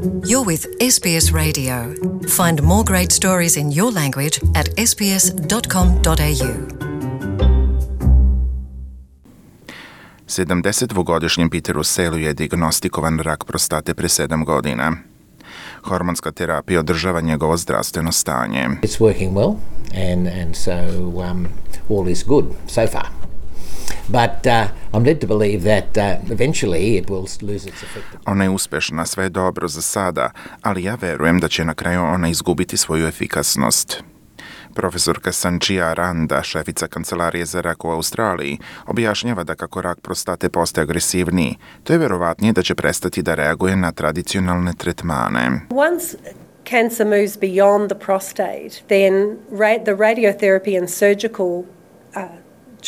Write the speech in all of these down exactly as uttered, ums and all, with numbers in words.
You're with S B S Radio. Find more great stories in your language at s b s dot com dot a u. sedamdesetdvogodišnjem Peteru Selu je dijagnostikovan rak prostate pre sedam godina. Hormonska terapija održava njegovo zdravstveno stanje. It's working well and, and so um, all is good so far. But uh, I'm led to believe that uh, eventually it will lose its effect. Ona je uspešna, sve je dobro za sada, ali ja verujem da će na kraju ona izgubiti svoju efikasnost. Profesorka Sanchia Aranda, šefica kancelarije za rak u Australiji, objašnjava da kako rak prostate postaje agresivniji, to je verovatnije da će prestati da reaguje na tradicionalne tretmane. Once cancer moves beyond the prostate, then ra- the radiotherapy and surgical uh,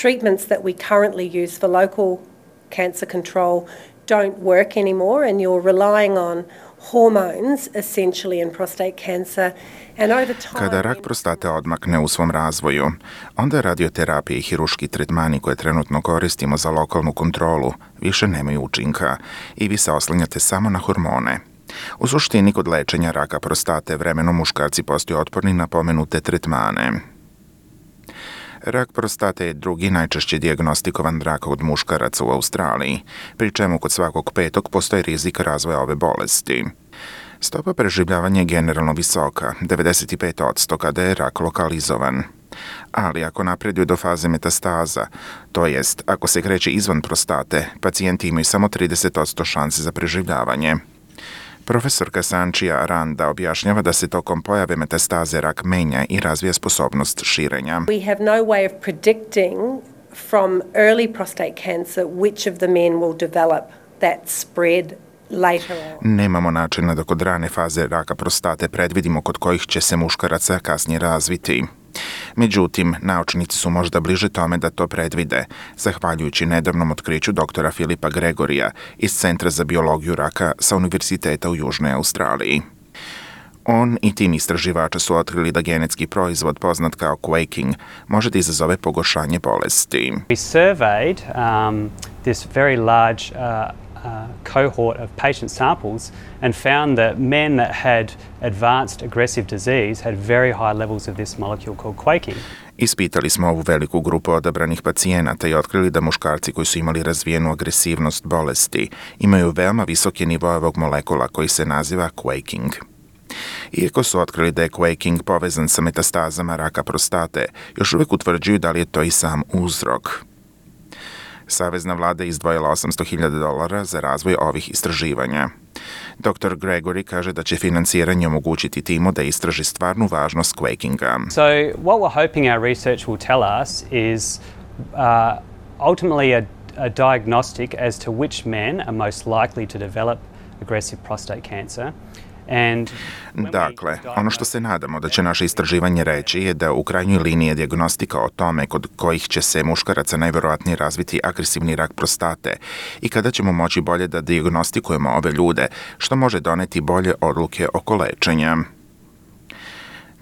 treatments that we currently use for local cancer control don't work anymore, and you're relying on hormones essentially in prostate cancer. And over time, Kada rak prostate odmakne u svom razvoju, onda radioterapija i hiruški tretmani koje trenutno koristimo za lokalnu kontrolu više nemaju učinka i vi se oslanjate samo na hormone. U suštini, kod lečenja raka prostate vremenom muškarci postaju otporni na pomenute tretmane. Rak prostate je drugi najčešće dijagnostikovan rak od muškaraca u Australiji, pri čemu kod svakog petog postoji rizik razvoja ove bolesti. Stopa preživljavanja je generalno visoka, devedeset pet posto kada je rak lokalizovan. Ali ako napreduje do faze metastaza, to jest ako se kreće izvan prostate, pacijenti imaju samo trideset posto šanse za preživljavanje. Profesorka Sanchia Aranda objašnjava da se tokom pojave metastaze rak menja i razvija sposobnost širenja. we have no way of predicting from early prostate cancer which of the men will develop that spread later on. Nemamo načina da kod rane faze raka prostate predvidimo kod kojih će se muškaraca kasnije razviti. Međutim, naučnici su možda bliže tome da to predvide, zahvaljujući nedavnom otkriću doktora Filipa Gregorija iz Centra za biologiju raka sa Univerziteta u Južnoj Australiji. On i tim istraživača su otkrili da genetski proizvod poznat kao quaking može da izazove pogoršanje bolesti. We surveyed um, this very large uh, uh, cohort of patient samples and found that men that had advanced aggressive disease had very high levels of this molecule called quaking. Ispitali smo ovu veliku grupu odabranih pacijenata i otkrili da muškarci koji su imali razvijenu agresivnost bolesti imaju veoma visoke nivoe ovog molekula koji se naziva quaking. Iako su otkrili da je quaking povezan sa metastazama raka prostate, još uvijek utvrđuju da li je to i sam uzrok. Savezna vlada je izdvojila osamsto hiljada dolara za razvoj ovih istraživanja. doktor Gregory kaže da će finansiranje omogućiti timu da istraži stvarnu važnost quakinga. So what we're hoping our research will tell us is uh, ultimately a, a diagnostic as to which men are most likely to develop aggressive prostate cancer. And Dakle, ono što se nadamo da će naše istraživanje reći je da u krajnjoj liniji je dijagnostika o tome kod kojih će se muškaraca najverovatnije razviti agresivni rak prostate i kada ćemo moći bolje da dijagnostikujemo ove ljude, što može doneti bolje odluke oko lečenja.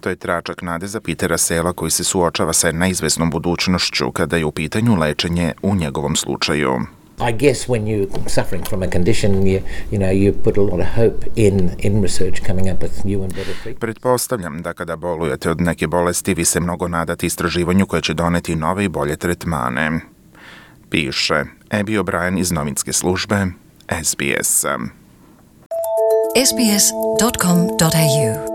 To je tračak nade za Petera Sela koji se suočava sa neizvesnom budućnošću kada je u pitanju lečenje u njegovom slučaju. I guess when you're suffering from a condition, you, you know, you put a lot of hope in, in research coming up with new and better treatments. Pretpostavljam da kada bolujete od neke bolesti, vi se mnogo nadate istraživanju koje će doneti nove i bolje tretmane. Piše Abby O'Brien iz novinske službe S B S. s b s dot com dot a u